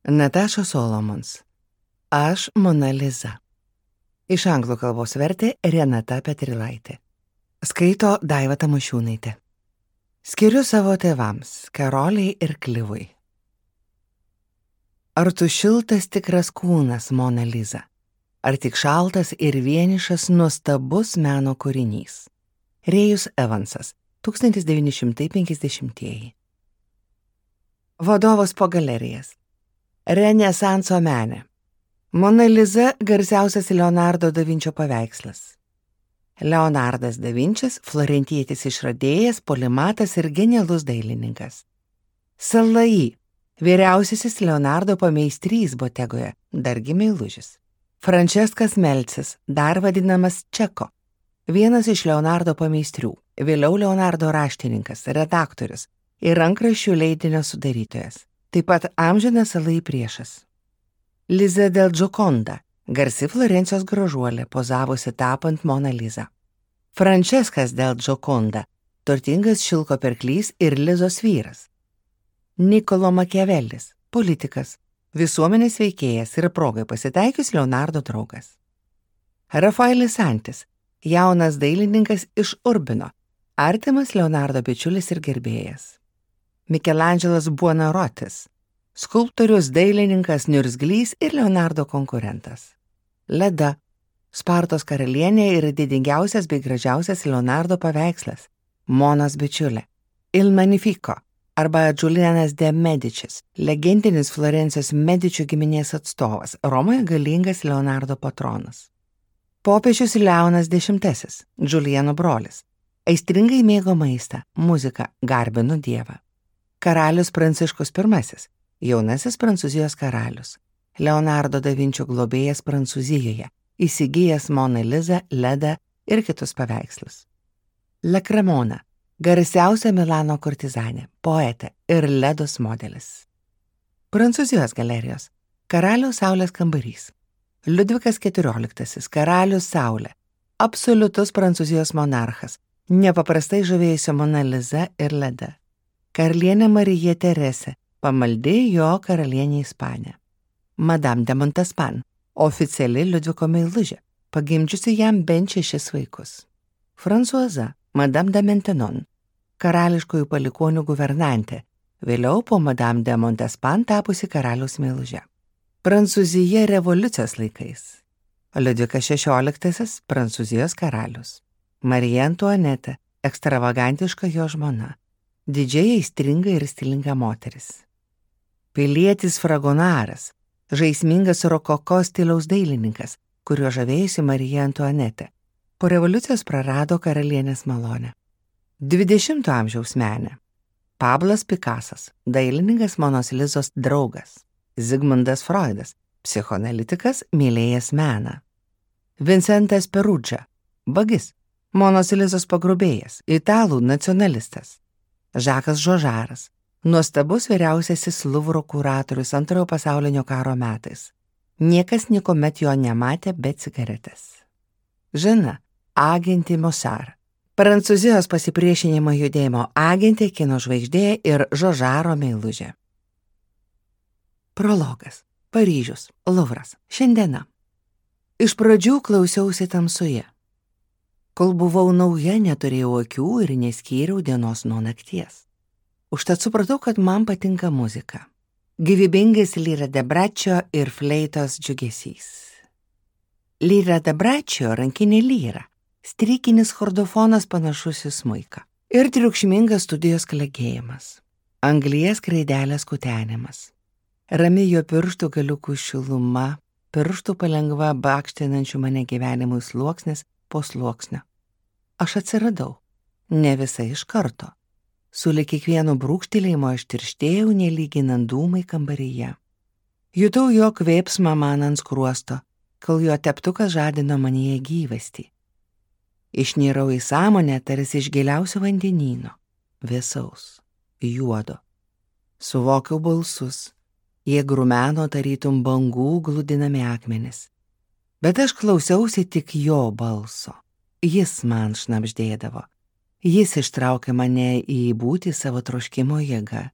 Natasha Solomons. Aš Mona Liza. Iš anglų kalbos vertė Renata Petrilaitė. Skaito Daiva Tamošiūnaitė. Skiriu savo tėvams, Karoliai ir Klivui. Ar tu šiltas tikras kūnas, Mona Liza? Ar tik šaltas ir vienišas nuostabus meno kūrinys? Rėjus Evansas, 1950. Vadovas po galerijas. Renesanso menė. Mona Liza garsiausias Leonardo da Vinčio paveikslas. Leonardas da Vinčis – florentietis išradėjas, polimatas ir genialus dailininkas. Salai – vyriausiasis Leonardo pameistrys Botegoje, dargi meilužis. Franceskas Melcis, dar vadinamas Čeko, vienas iš Leonardo pameistrių, vėliau Leonardo raštininkas, redaktorius ir rankraščių leidinio sudarytojas. Taip pat amžinas Salai priešas. Liza del Gioconda, garsi Florencijos gražuolė, pozavusi tapant Mona Liza. Franceskas del Gioconda, turtingas šilko pirklys ir Lizos vyras. Niccolo Machiavellis, politikas, visuomenės veikėjas ir progai pasitaikius Leonardo draugas. Rafaelis Santis, jaunas dailininkas iš Urbino, artimas Leonardo bičiulis ir gerbėjas. Mikelandželas Buonarotis, skulptorius, dailininkas, niurzglys ir Leonardo konkurentas. Leda, Spartos karalienė ir didingiausias bei gražiausias Leonardo paveikslas, Monos bičiulė. Il Magnifico arba Giulianas de Medicis, legendinis Florencijos Medičių giminės atstovas, Romoje galingas Leonardo patronas. Popiežius Leonas X, Giuliano brolis, aistringai mėgo maistą, muziką, garbino Dievą. Karalius Pranciškus I, jaunasis Prancūzijos karalius, Leonardo da Vinčio globėjas Prancūzijoje, įsigijęs Mona Lizą, Ledą ir kitus paveikslus. La Cremona, garsiausia Milano kurtizanė, poetė ir Ledos modelis. Prancūzijos galerijos, Karaliaus Saulės kambarys. Liudvikas XIV, karalius Saulė, absoliutus Prancūzijos monarchas, nepaprastai žavėjusio Mona Liza ir Leda. Karalienė Marija Teresė, pamaldi jo karalienė Ispanė. Madame de Montespan, oficiali Liudviko meilužė, pagimdžiusi jam bent 6 vaikus. Fransuaza, Madame de Maintenon, karališkųjų palikonių guvernantė, vėliau po Madame de Montespan tapusi karaliaus meilužė. Prancūzija revoliucijos laikais. Liudvikas XVI, Prancūzijos karalius. Marija Antuanetė, ekstravagantiška jo žmona. Didžiai aistringa ir stilinga moteris. Pilietis Fragonaras, žaismingas rokoko stiliaus dailininkas, kuriuo žavėjusi Marija Antuanetė. Po revoliucijos prarado karalienės malonę. 20 amžiaus menė. Pablas Pikasas, dailininkas Monos Lizos draugas. Zigmundas Freudas, psichoanalitikas, mylėjęs meną. Vincentas Perudža, vagis, Monos Lizos pagrobėjas, italų nacionalistas. Žakas Žožaras, nuostabus vyriausiasis Luvro kuratorius Antrojo pasaulinio karo metais. Niekas niekuomet jo nematė be cigaretės. Žana, agentė Mosar, Prancūzijos pasipriešinimo judėjimo agentė, kino žvaigždė ir Žožaro meilužė. Prologas. Paryžius, Luvras, šiandiena. Iš pradžių klausiausi tamsoje. Kol buvau nauja, neturėjau akių ir neskyriau dienos nuo nakties. Užtat supratau, kad man patinka muzika. Gyvybingas Lyra de Braccio ir fleitos džiugesys. Lyra de Braccio rankinė lyra, strykinis chordofonas panašus į smuiką ir triukšmingas studijos klegėjimas. Anglies skraidelės kutenimas. Rami jo pirštų galiukų šiluma, pirštų palengva bakštinančių mane gyvenimui sluoksnis po sluoksnio. Aš atsiradau, ne visai iš karto. Sulig kiekvienu brūkštelėjimu aš tirštėjau, nelyginant dūmai kambaryje. Jutau jo kvėpsmą man ant skruosto, kol jo teptukas žadino manyje gyvastį. Išnyrau į sąmonę tarsi iš giliausio vandenyno, vėsaus, juodo. Suvokiau balsus, jie grumeno tarytum bangų gludinami akmenis. Bet aš klausiausi tik jo balso. Jis man šnabždėdavo. Jis ištraukė mane į būtį savo troškimo jėgą.